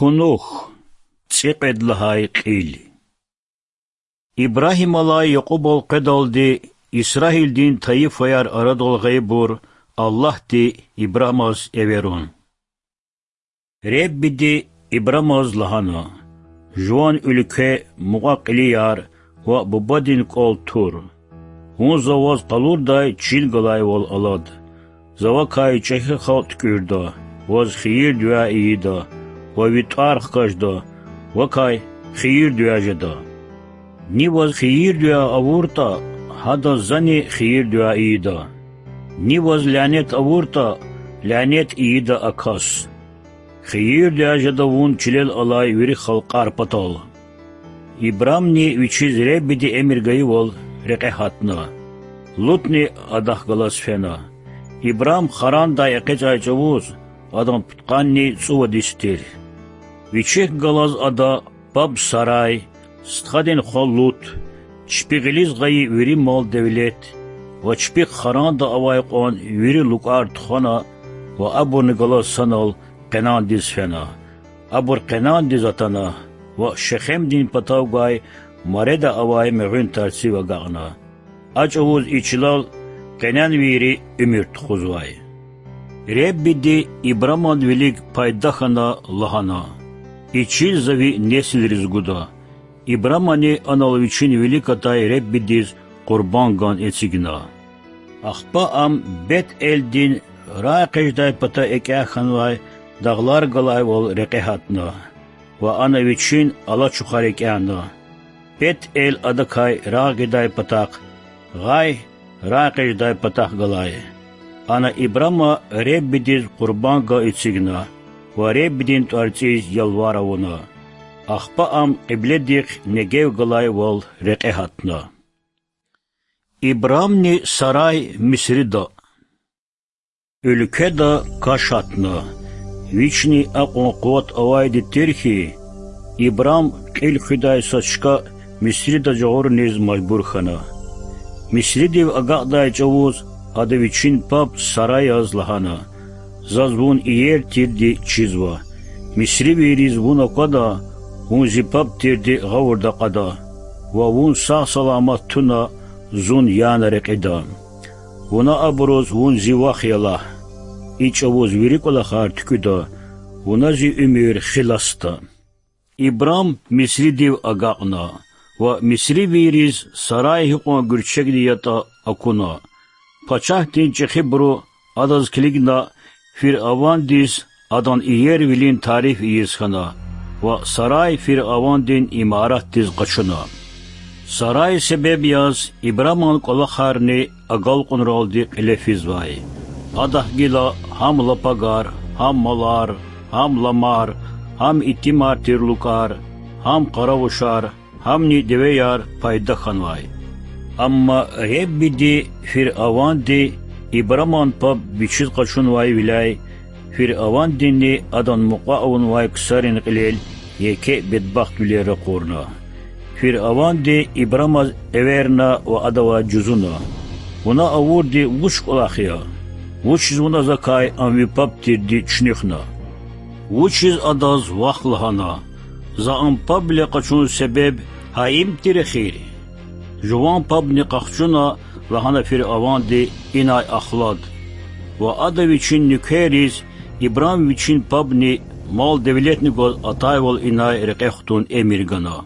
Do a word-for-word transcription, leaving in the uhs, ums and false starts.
Кунух, цӀикьвед лагьай кьил. Ибрагьималай Якьубал къведалди Исраилдин тайифаяр арадал гъайибур Аллагьди Ибрамаз эверун. Реббиди Ибрамаз лагьана: Жуван уьлкве, мукьва-кьилияр ва бубадин кӀвал тур. Вун За ваз къалурдай чин галайвал алад. За вакай чӀехи халкь туькӀуьрда, ваз хийир-дуьа ийида ва ви тӀвар хкажда, вакай хийир-дуьа жеда. Ни ваз хийир-дуьа авуртӀа, гьадаз Зани хийир-дуьа ийида. Ни ваз лянет авуртӀа, лянет ийида а кас. Хийир-дуьа жеда вун чилел алай вири халкьар патал. Ибрамни вичиз Реббиди эмир гайивал рекье гьатна. Лутни адахъ галаз фена. Ибрам Харандай экъечӀай чӀавуз, адан пудкъанни цӀувад йис тир. Вичихъ галаз ада паб Сарай, стхадин хва Лут, чпи гъилиз гъайи вири мал-девлет ва чпихъ Харанда авай кьван вири лукӀар тухвана ва абурни галаз санал Къенандиз фена. Абур Къенандиз атана ва Шехемдин патав гвай Мареда авай мегъуьн тарцив агакьна. А чӀавуз и чилел къенанвийри уьмуьр тухузвай. Реббиди Ибраман вилик пайда хьана лагьана: И чил За ви несилриз гуда. Ибрамани анал вичин вилик атай Реббидиз къурбанган эцигна. Ахпа ам Бет-Элдин рагъэкъечӀдай пата экӀя хьанвай дагълар галайвал рекье гьатна ва ана вичин алачухар экӀяна. Бет-Эл адакай рагъ гъидай патахъ, гъай рагъэкъечӀдай патахъ галай. Ана Ибрама Реббидиз къурбанган эцигна ва Реббидин тӀварцӀиз ялвар авуна. Ахпа ам кьибледихъ Негев галайвал рекье гьатна. Ибрамни Сарай Мисрида. Уьлкведа каш гьатна. Вични акьван къуват авайди тир хьи, Ибрам кьил хуьдай са чка Мисрида жагъуриз мажбур хьана. Мисридив агакьдай чӀавуз ада вичин паб Сараяз лагьана: Заз вун иер тирди чизва. Мисривийриз вун аквада, вун зи паб тирди гъавурда кьада ва вун сагъ-саламат туна, зун яна рекьида. Вуна абуруз вун зи вах я лагь. И чӀавуз вири кӀвалахар туькӀуьда, вуна зи уьмуьр хиласда. Ибрам Мисридив агакьна ва мисривийриз Сарай гьикьван гуьрчегди ятӀа акуна. Пачагьдин чӀехибуру адаз килигна, фиръавандиз адан иервилин тариф ийиз хьана ва Сарай фиръавандин имаратдиз къачуна. Сарай себеб яз Ибраман кӀвалахарни агалкьунралди кьиле физвай. Адахъ гила гьам лапагар, гьам малар, гьам ламар, гьам итимар тир лукӀар, гьам къаравушар, гьамни девеяр пайда хьанвай. Амма Реббиди фиръаванди Ибраман паб вичиз къачунвайвиляй, фиръавандини адан мукьва авунвай ксарин кьилел еке бедбахтвилер ракъурна. Фиръаванди Ибрамаз эверна ва адавай жузуна: Вуна авурди вуч кӀвалах я? Вучиз вуна закай ам ви паб тирди чуьнуьхна? Вучиз адаз вах лагьана? За ам пабвиле къачун себеб гьа им тир эхир? Жуван пабни къахчуна, лагьана фиръаванди, инай ахлад. Ва ада вичин нуькерриз Ибрам вичин пабни мал-девлетни гваз атайвал инай рекье хтун эмир гана.